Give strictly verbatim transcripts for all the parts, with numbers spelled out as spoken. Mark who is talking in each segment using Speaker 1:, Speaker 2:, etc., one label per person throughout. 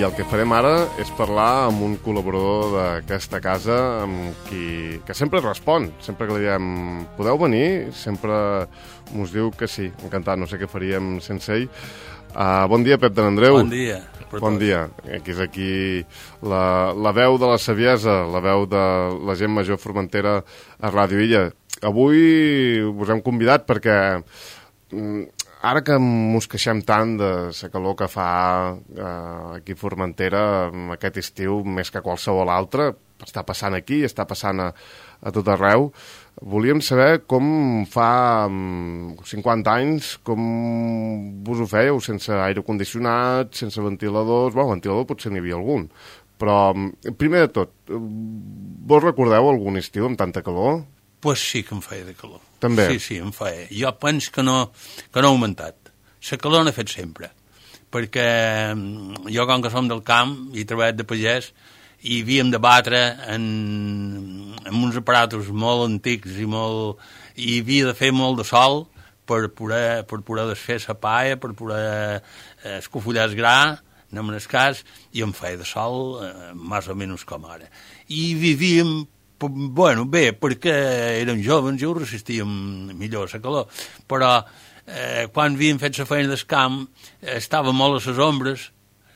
Speaker 1: I el que farem ara és parlar amb un col·laborador d'aquesta casa amb qui, que sempre respon, sempre que li diem podeu venir, sempre mos diu que sí, encantat, no sé què faríem sense ell. Uh, bon dia, Pep de Nandreu.
Speaker 2: Bon dia.
Speaker 1: Bon dia. Aquí és aquí la, la veu de la saviesa, la veu de la gent major formentera a Ràdio Illa. Avui us hem convidat perquè ara que mos queixem tant de la calor que fa eh, aquí a Formentera aquest estiu, més que qualsevol altre, està passant aquí, està passant a, a tot arreu, volíem saber com fa cinquanta anys, com vos ho fèieu, sense aire condicionat, sense ventiladors, bueno, ventilador potser n'hi havia algun, però primer de tot, vos recordeu algun estiu amb tanta calor?
Speaker 2: Pues sí que em feia de calor.
Speaker 1: També?
Speaker 2: Sí, sí, em feia. Jo penso que no, que no ha augmentat. La calor n'ha fet sempre. Perquè jo, com que som del camp i he treballat de pagès, i havíem de batre en, en uns aparatos molt antics i molt... i havia de fer molt de sol per poder, per poder desfer la paia, per poder eh, escofullar el gra, no me n'escàs, i em feia de sol eh, més o menys com ara. I vivíem... Bueno, bé, perquè érem jovens i ho resistíem millor a la calor, però eh, quan havíem fet la feina del camp eh, estava molt a les ombres,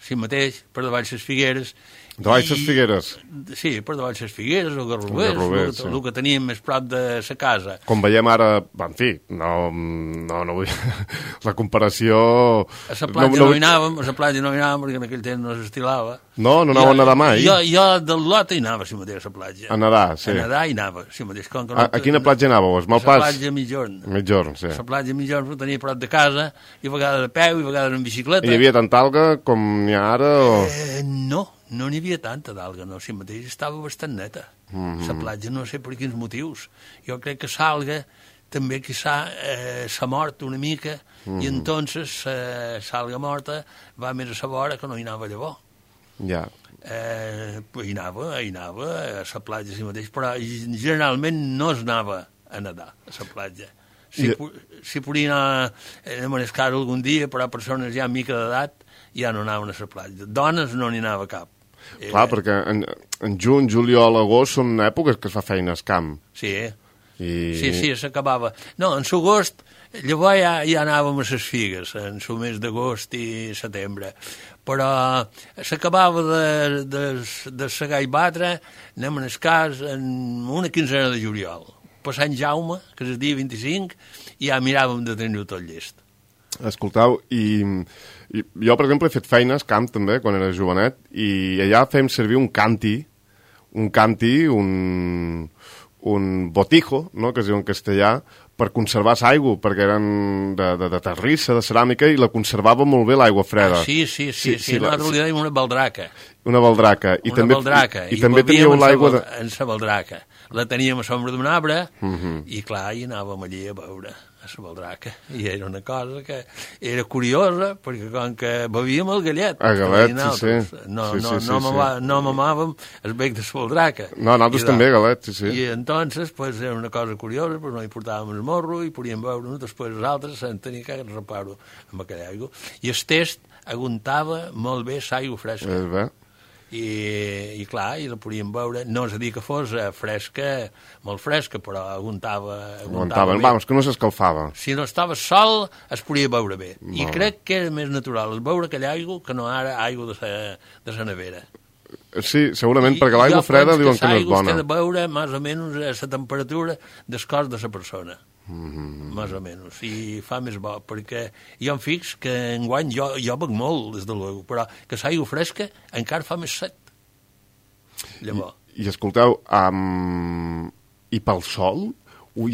Speaker 2: si mateix, per davall les figueres.
Speaker 1: Davall les figueres?
Speaker 2: Sí, per davall les figueres o garrovers, el, sí. el que teníem més prop de la casa.
Speaker 1: Com veiem ara, en fi, no, no, no vull... la comparació...
Speaker 2: A la platja no, no, no hi anàvem, a la platja no hi anàvem, perquè en aquell temps no s'estilava.
Speaker 1: No, no anava a nedar mai?
Speaker 2: Jo, jo del lot hi anava, si mateix, a la platja.
Speaker 1: A nedar, sí.
Speaker 2: A nedar hi anava, si mateix. Com que
Speaker 1: no, a, a quina platja anàveu? A Malpàs?
Speaker 2: A la platja Mitjorn.
Speaker 1: Mitjorn, sí.
Speaker 2: A la platja Mitjorn ho tenia prop de casa, i a vegades a peu, i a vegades en bicicleta.
Speaker 1: I hi havia tanta alga com n'hi ha ara? O...
Speaker 2: Eh, no. No n'hi havia tanta d'alga, no, si mateix estava bastant neta. Mm-hmm. La platja no sé per quins motius. Jo crec que l'alga també quizà eh, s'ha mort una mica, mm-hmm. i entonces eh, l'alga morta va més a la vora que no hi anava llavor.
Speaker 1: Ja.
Speaker 2: Eh, hi anava, hi anava a la platja si mateix, però generalment no es anava a nedar a la platja. Si, I... si podia anar, en el cas algun dia, però persones ja amb mica d'edat ja no anaven a la platja. Dones no n'hi anava cap.
Speaker 1: Clar, eh... perquè en, en juny, juliol, agost són èpoques que es fa feina al camp.
Speaker 2: Sí,
Speaker 1: I...
Speaker 2: sí, sí, s'acabava. No, en l'agost, llavors ja, ja anàvem a les figues, en el mes d'agost i setembre. Però s'acabava de, de, de segar i batre, anem en el cas, en una quinzena de juliol. Per Sant Jaume, que és el dia vint-i-cinc, i ja miràvem de tenir-ho tot llest.
Speaker 1: Escolteu, i, i jo, per exemple, he fet feines, camp també, quan era jovenet, i allà fèiem servir un canti, un canti, un, un botijo, no?, que es diu en castellà, per conservar l'aigua, perquè eren de, de, de terrissa, de ceràmica, i la conservava molt bé l'aigua freda.
Speaker 2: Ah, sí, sí, sí, sí, sí, sí nosaltres li dèiem una baldraca.
Speaker 1: Una baldraca. I
Speaker 2: una
Speaker 1: també,
Speaker 2: baldraca.
Speaker 1: I, i, i també teníeu l'aigua...
Speaker 2: De... En la baldraca. La teníem a l'ombra d'un arbre,
Speaker 1: uh-huh.
Speaker 2: i clar, hi anàvem allí a veure a la baldraca. I era una cosa que era curiosa, perquè com que bevíem el gallet.
Speaker 1: El gallet, sí, sí.
Speaker 2: No,
Speaker 1: sí,
Speaker 2: no,
Speaker 1: sí, sí,
Speaker 2: no,
Speaker 1: sí.
Speaker 2: mamà, no mamàvem el bec de la baldraca.
Speaker 1: No, nosaltres també, gallet, sí, sí.
Speaker 2: I entonces, pues, era una cosa curiosa, pues, no hi portàvem el morro i podíem veure-ho, després els altres se'n tenia que repar-ho amb aquella aigua. I el test aguantava molt bé l'aigua fresca.
Speaker 1: És bé.
Speaker 2: I, i clar, i la podíem veure, no és a dir que fos fresca, molt fresca, però aguantava, aguantava bé.
Speaker 1: Vamos, que no s'escalfava.
Speaker 2: Si no estava sol, es podia veure bé. Molt. I crec que era més natural veure aquella aigua que no ara aigua de la, de la nevera.
Speaker 1: Sí, segurament, I, perquè l'aigua freda diuen que no és bona.
Speaker 2: I jo penso que l'aigua s'ha de veure més o menys a la temperatura del cos de la persona.
Speaker 1: Mm-hmm.
Speaker 2: Més o menys, i fa més bo, perquè jo em fix que enguany jo, jo bec molt, des de l'aigua, però que l'aigua fresca encara fa més set. Llavors.
Speaker 1: I, i escolteu, um, i pel sol?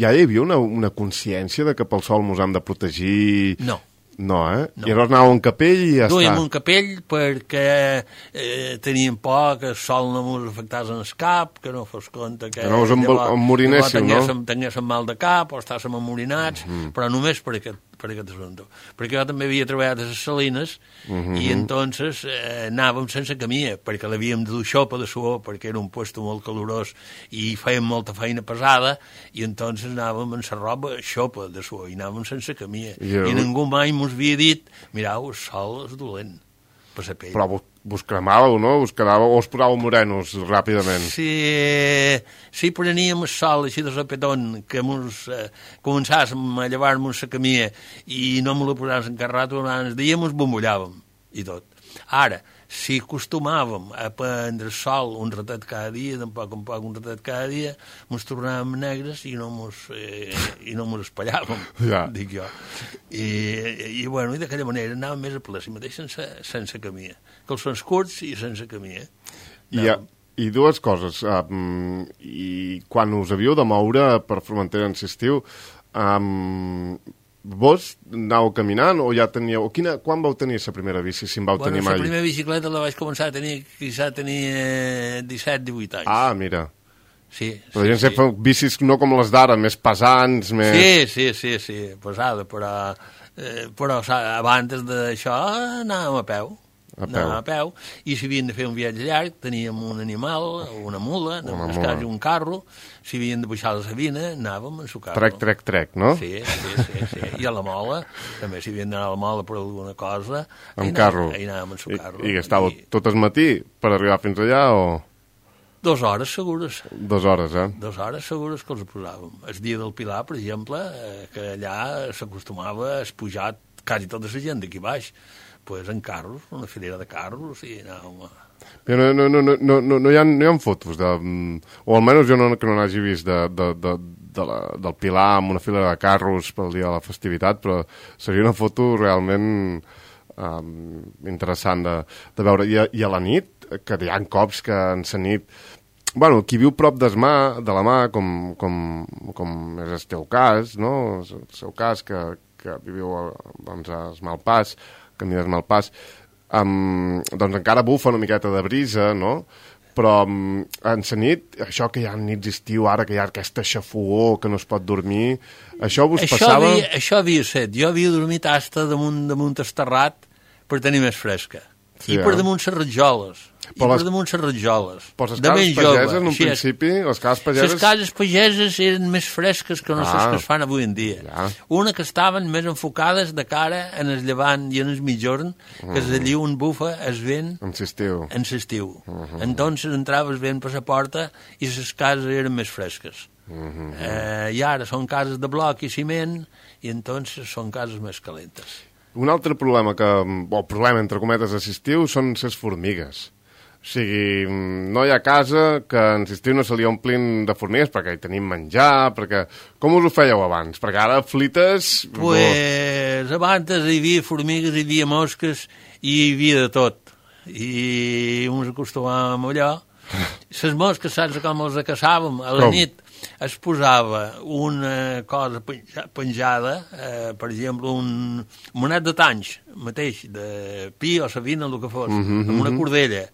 Speaker 1: Ja hi havia una, una consciència de que pel sol mos hem de protegir?
Speaker 2: No.
Speaker 1: No, eh?
Speaker 2: No.
Speaker 1: I llavors anàveu a un capell i ja
Speaker 2: Duíem
Speaker 1: està.
Speaker 2: un capell perquè eh, teníem por que el sol no ens afectés en el cap, que no fos compte que...
Speaker 1: Que no us emmorinéssiu, no?
Speaker 2: Tinguéssim, tinguéssim mal de cap o estàssim emmorinats, mm-hmm. però només per aquest, per aquest assumpte. Perquè jo també havia treballat a les Salines, mm-hmm. i entonces eh, anàvem sense camia, perquè l'havíem de dur xopa de suor, perquè era un puesto molt calorós i fèiem molta feina pesada, i entonces anàvem en la roba xopa de suor, i anàvem sense camia.
Speaker 1: Jo...
Speaker 2: I ningú mai mos havia dit, mirau, el sol és dolent per la pell.
Speaker 1: Però vos, vos cremàveu, no? Us quedàveu, o us posàveu morenos ràpidament?
Speaker 2: Si, si preníem el sol així de sopetón, que mos, eh, començàssim a llevar-nos la camia i no me la posàvem encarrat durant el dia, mos bombollàvem i tot. Ara, si acostumàvem a prendre el sol un ratet cada dia, tampoc un poc un ratet cada dia, mos tornàvem negres i no mos, eh, i no mos espallàvem,
Speaker 1: ja.
Speaker 2: dic jo. I, i, bueno, i d'aquella manera anàvem més a ple, si mateix sense, sense camia. Calçons curts i sense camia.
Speaker 1: I, ha, I dues coses. Um, I quan us havíeu de moure per Formentera en l'estiu, um, vos anàveu caminant o ja teníeu... Quina, quan vau tenir la primera bici, si en vau
Speaker 2: bueno,
Speaker 1: tenir mai?
Speaker 2: La primera bicicleta la vaig començar a tenir, quizà tenia disset divuit anys.
Speaker 1: Ah, mira.
Speaker 2: Sí,
Speaker 1: però
Speaker 2: sí,
Speaker 1: la gent
Speaker 2: sí.
Speaker 1: fa bicis no com les d'ara, més pesants, més...
Speaker 2: Sí, sí, sí, sí, pesada, però, eh, però abans d'això anàvem a peu.
Speaker 1: A peu.
Speaker 2: Anàvem a peu, i si havíem de fer un viatge llarg teníem un animal, una mula, en el cas un carro, si havíem de pujar la Sabina anàvem en su carro.
Speaker 1: Trec, trec, trec, no?
Speaker 2: Sí, sí, sí, sí. I a la mola, també si havíem d'anar a la mola per alguna cosa,
Speaker 1: amb carro.
Speaker 2: Ahí anàvem en su carro.
Speaker 1: I, i estàveu I... tot el matí per arribar fins allà o...?
Speaker 2: Dos hores segures.
Speaker 1: Dos hores, eh?
Speaker 2: Dos hores segures que els posàvem. El dia del Pilar, per exemple, eh, que allà s'acostumava a pujar quasi tota la gent d'aquí baix, pues en carros, una filera de carros, i anàvem a...
Speaker 1: Però no, no, no, no, no, no, hi ha, no hi ha fotos, de, o almenys jo no, que no n'hagi vist de, de, de, de la, del Pilar amb una filera de carros pel dia de la festivitat, però seria una foto realment um, interessant de, de veure. I a, I a la nit, que hi ha cops que en la nit... Bueno, qui viu prop des mà, de la mà, com, com, com és el teu cas, no? El seu cas, que, que viviu a, doncs, a Malpàs, camí de Malpàs, um, doncs encara bufa una miqueta de brisa, no? Però um, en la nit, això que hi ha nits d'estiu, ara que hi ha aquesta xafogor que no es pot dormir, això vos
Speaker 2: això
Speaker 1: passava...
Speaker 2: Havia, això havia set. Jo havia dormit hasta damunt, damunt esterrat per tenir més fresca. Sí, I per eh? damunt les ratjoles. I les... per damunt les ratjoles.
Speaker 1: Però les cases pageses, en un
Speaker 2: així
Speaker 1: principi, les cases pageses...
Speaker 2: Les cases pageses eren més fresques que no
Speaker 1: ah,
Speaker 2: les que es fan avui en dia.
Speaker 1: Ja.
Speaker 2: Una que estaven més enfocades de cara en el llevant i en el mitjorn, que és allí on bufa es vent
Speaker 1: en l'estiu.
Speaker 2: En l'estiu. Uh -huh. Entonces entraves vent per la porta i les cases eren més fresques. Uh -huh. eh, I ara són cases de bloc i ciment i entonces són cases més calentes.
Speaker 1: Un altre problema que, o problema entre cometes a l'estiu són les formigues. O sigui, no hi ha casa que en l'estiu no se li omplin de formigues perquè hi tenim menjar, perquè... Com us ho fèieu abans? Perquè ara flites...
Speaker 2: Pues no... abans hi havia formigues, hi havia mosques i hi havia de tot. I ens acostumàvem a allò. Les mosques, saps com els caçàvem? A la com? Nit es posava una cosa penjada, eh, per exemple, un monet de tanys, mateix, de pi o savina, el que fos, uh -huh, amb una cordella.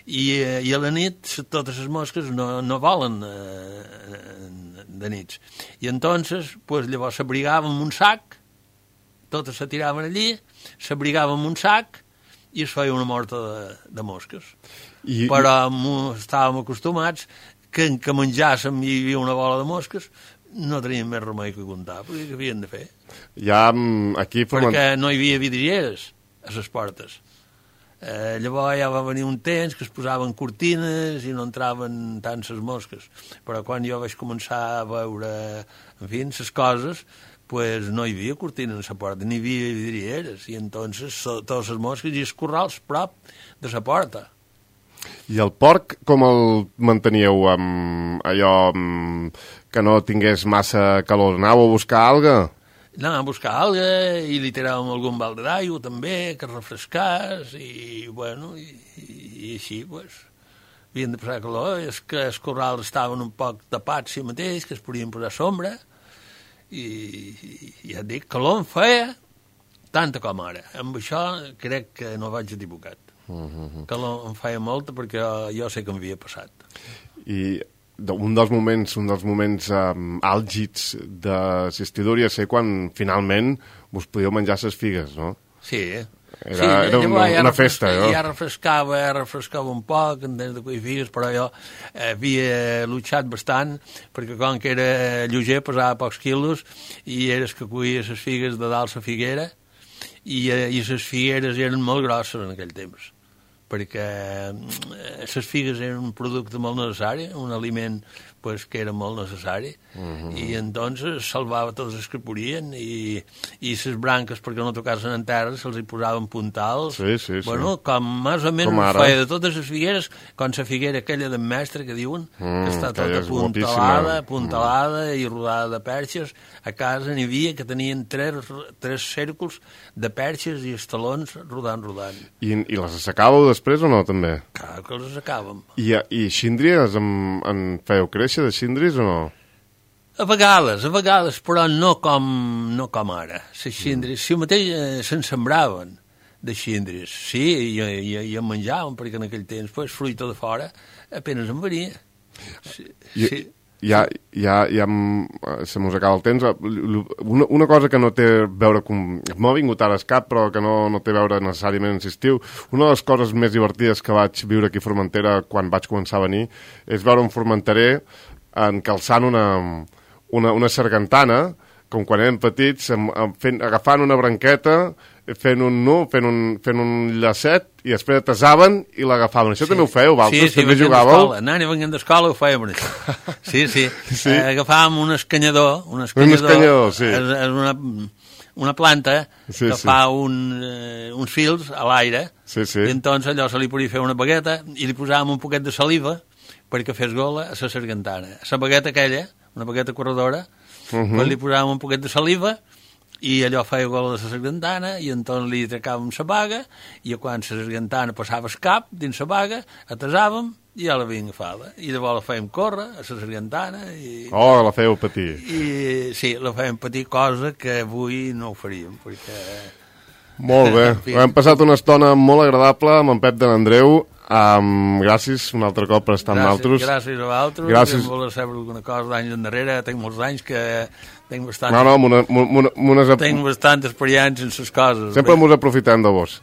Speaker 2: I, i a la nit totes les mosques no, no volen eh, de nits. I entonces, pues, llavors s'abrigaven en un sac, totes se tiraven allí, s'abrigaven en un sac i es feia una morta de, de mosques. I, però i... estàvem acostumats que en que menjàssim i hi havia una bola de mosques, no teníem més remei que comptar, perquè què havien de fer?
Speaker 1: Ja, aquí...
Speaker 2: Perquè no hi havia vidrieres a les portes. Eh, llavors ja va venir un temps que es posaven cortines i no entraven tant les mosques. Però quan jo vaig començar a veure, en fi, les coses, pues no hi havia cortines a la porta, ni hi havia vidrieres, i entonces so, totes les mosques i els corrals prop de la porta.
Speaker 1: I el porc com el manteníeu amb allò amb, que no tingués massa calor? Anàveu a buscar alga?
Speaker 2: Anàvem a buscar alga i li tiràvem algun balde d'aigua també, que refrescàs, i bueno, i, i així, pues, havien de passar calor. És que els corrals estaven un poc tapats si mateix, que es podien posar sombra, i, i ja et dic, calor en feia tanta com ara. Amb això crec que no vaig equivocat. Uh -huh. Que em feia molta perquè jo, jo sé que m'havia passat.
Speaker 1: I un dels moments, un dels moments um, àlgids de l'estiu hauria de ser quan finalment us podíeu menjar les figues, no?
Speaker 2: Sí,
Speaker 1: Era,
Speaker 2: sí,
Speaker 1: era una, ja una festa,
Speaker 2: ja,
Speaker 1: no?
Speaker 2: Ja refrescava, ja refrescava un poc en temps de cuir figues, però jo havia luchat bastant, perquè com que era lleuger, pesava pocs quilos, i eres que cuia les figues de dalt la figuera, i, i les figueres eren molt grosses en aquell temps. perquè les figues eren un producte molt necessari, un aliment pues, que era molt necessari, uh-huh. i entonces salvava tots els que podien, i, i les branques, perquè no tocassin en terra, se'ls hi posaven puntals,
Speaker 1: sí, sí, sí.
Speaker 2: Bueno, com més o menys feia de totes les figueres, com la figuera aquella del mestre que diuen, mm, que està tota apuntalada, apuntalada mm. i rodada de perxes. A casa n'hi havia que tenien tres, tres cèrculs de perxes i estalons rodant, rodant.
Speaker 1: I, i les assecàveu després o no, també?
Speaker 2: Clar que les assecàvem.
Speaker 1: I, i xíndries en, en fèieu créixer de xíndries o no?
Speaker 2: A vegades, a vegades, però no com, no com ara. Les xíndries, mm. si mateix eh, se'n sembraven de xíndries, sí, i, i, i en menjaven, perquè en aquell temps, pues, fruita de fora, apenas en venia. Sí,
Speaker 1: I,
Speaker 2: sí.
Speaker 1: Ja, ja, ja se mos acaba el temps. Una, una cosa que no té a veure com... M'ha vingut ara al cap, però que no, no té a veure necessàriament en l'estiu. Una de les coses més divertides que vaig viure aquí a Formentera quan vaig començar a venir és veure un formenterer encalçant una, una, una sargantana, com quan érem petits, fent, agafant una branqueta, fent un nu, fent un, fent un llacet, i després atasaven i l'agafaven. Això sí. També ho fèieu, vosaltres?
Speaker 2: Sí, sí,
Speaker 1: també jugàveu?
Speaker 2: Anant i venint d'escola ho fèiem. Sí, sí. sí? Eh, agafàvem un escanyador. Un
Speaker 1: escanyador, un escanyador sí.
Speaker 2: És, és una, una planta
Speaker 1: sí,
Speaker 2: que
Speaker 1: sí.
Speaker 2: fa un, eh, uns fils a l'aire,
Speaker 1: sí, sí.
Speaker 2: i entonces allò se li podia fer una bagueta i li posàvem un poquet de saliva perquè fes gola a la sargantana. A la bagueta aquella, una bagueta corredora, uh-huh. pues li posàvem un poquet de saliva i allò feia gola de la sargantana i entonces li tracàvem la baga i quan la sargantana passava el cap dins la baga, atasàvem i ja la havíem agafada. I llavors la fèiem córrer a la sargantana i...
Speaker 1: Oh, la fèieu patir.
Speaker 2: I sí, la fèiem patir, cosa que avui no ho faríem, perquè...
Speaker 1: Molt bé. Hem passat una estona molt agradable amb en Pep de l'Andreu. Um, gràcies un altre cop per estar amb nosaltres.
Speaker 2: Gràcies a vosaltres.
Speaker 1: Gràcies.
Speaker 2: Si em voler saber alguna cosa d'anys endarrere, tinc molts anys que tinc bastant...
Speaker 1: No, no, una, una, una...
Speaker 2: Tinc bastant experiència en les coses.
Speaker 1: Sempre mos aprofitem de vos.